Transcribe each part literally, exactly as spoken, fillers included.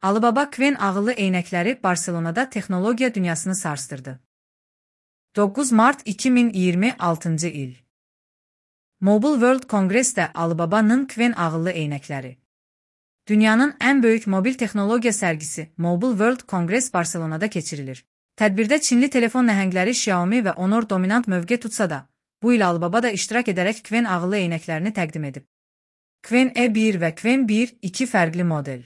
Alibaba Qwen ağıllı eynəkləri Barselonada texnologiya dünyasını sarstırdı. doqquz mart iki min iyirmi altıncı il. Mobile World Congress'də Alibaba'nın Qwen ağıllı eynəkləri. Dünyanın ən böyük mobil texnologiya sərgisi Mobile World Congress Barselonada keçirilir. Tədbirdə Çinli telefon nəhəngləri Xiaomi və Honor dominant mövqe tutsa da, bu il Alibaba da iştirak edərək Qwen ağıllı eynəklərini təqdim edib. Qwen E bir və Qwen bir iki fərqli model.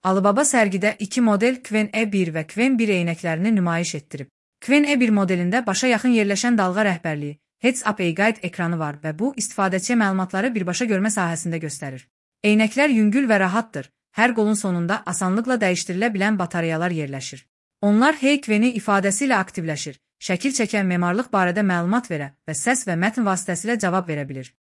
Alibaba sərgidə iki model Qwen E bir və Qwen bir eynəklərini nümayiş etdirib. Qwen E bir modelində başa yaxın yerləşən dalğa rəhbərliyi, Heads-up Guide ekranı var və bu, istifadəçiyə məlumatları birbaşa görmə sahəsində göstərir. Eynəklər yüngül və rahatdır, hər qolun sonunda asanlıqla dəyişdirilə bilən batareyalar yerləşir. Onlar Hey Qweni ifadəsi ilə aktivləşir, şəkil çəkən memarlıq barədə məlumat verə və səs və mətn vasitəsilə cavab verə bilir.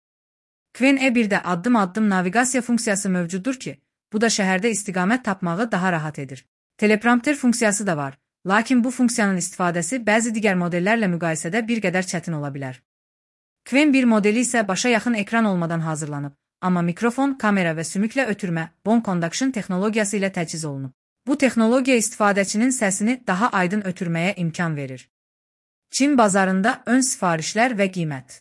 Qwen E birdə addım-addım naviqasiya funksiyası mövcuddur ki, bu da şəhərdə istiqamət tapmağı daha rahat edir. Teleprompter funksiyası da var, lakin bu funksiyanın istifadəsi bəzi digər modellərlə müqayisədə bir qədər çətin ola bilər. Qwen bir modeli isə başa yaxın ekran olmadan hazırlanıb, amma mikrofon, kamera və sümüklə ötürmə, bone conduction texnologiyası ilə təchiz olunub. Bu texnologiya istifadəçinin səsini daha aydın ötürməyə imkan verir. Çin bazarında ön sifarişlər və qiymət.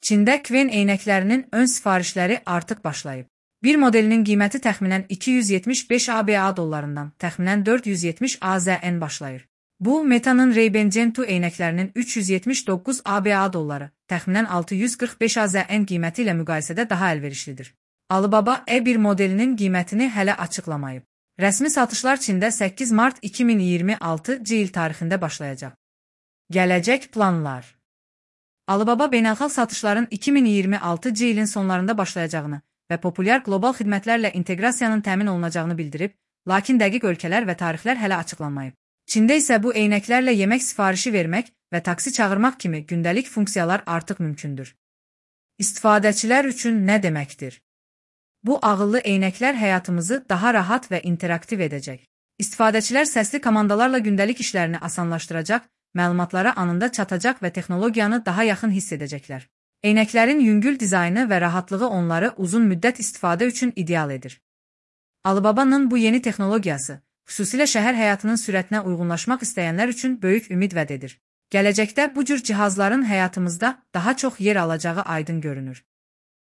Çində Qwen eynəklərinin ön sifarişləri artıq başlayıb. Bir modelinin qiyməti təxminən iki yüz yetmiş beş ABA dollarından təxminən dörd yüz yetmiş AZN başlayır. Bu, Meta'nın Ray-Ban Gen iki eynəklərinin üç yüz yetmiş doqquz ABA dolları, təxminən altı yüz qırx beş AZN qiyməti ilə müqayisədə daha əlverişlidir. Alibaba E bir modelinin qiymətini hələ açıqlamayıb. Rəsmi satışlar Çində səkkiz mart iki min iyirmi altıncı il tarixində başlayacaq. Gələcək planlar. Alibaba beynəlxalq satışların iki min iyirmi altıncı ilin sonlarında başlayacağını və populyar qlobal xidmətlərlə inteqrasiyanın təmin olunacağını bildirib, lakin dəqiq ölkələr və tarixlər hələ açıqlanmayıb. Çində isə bu eynəklərlə yemək sifarişi vermək və taksi çağırmaq kimi gündəlik funksiyalar artıq mümkündür. İstifadəçilər üçün nə deməkdir? Bu ağıllı eynəklər həyatımızı daha rahat və interaktiv edəcək. İstifadəçilər səsli komandalarla gündəlik işlərini asanlaşdıracaq, məlumatlara anında çatacaq və texnologiyanı daha yaxın hiss edəcəklər. Eynəklərin yüngül dizaynı və rahatlığı onları uzun müddət istifadə üçün ideal edir. Alibaba'nın bu yeni texnologiyası, xüsusilə şəhər həyatının sürətinə uyğunlaşmaq istəyənlər üçün böyük ümid vəd edir. Gələcəkdə bu cür cihazların həyatımızda daha çox yer alacağı aydın görünür.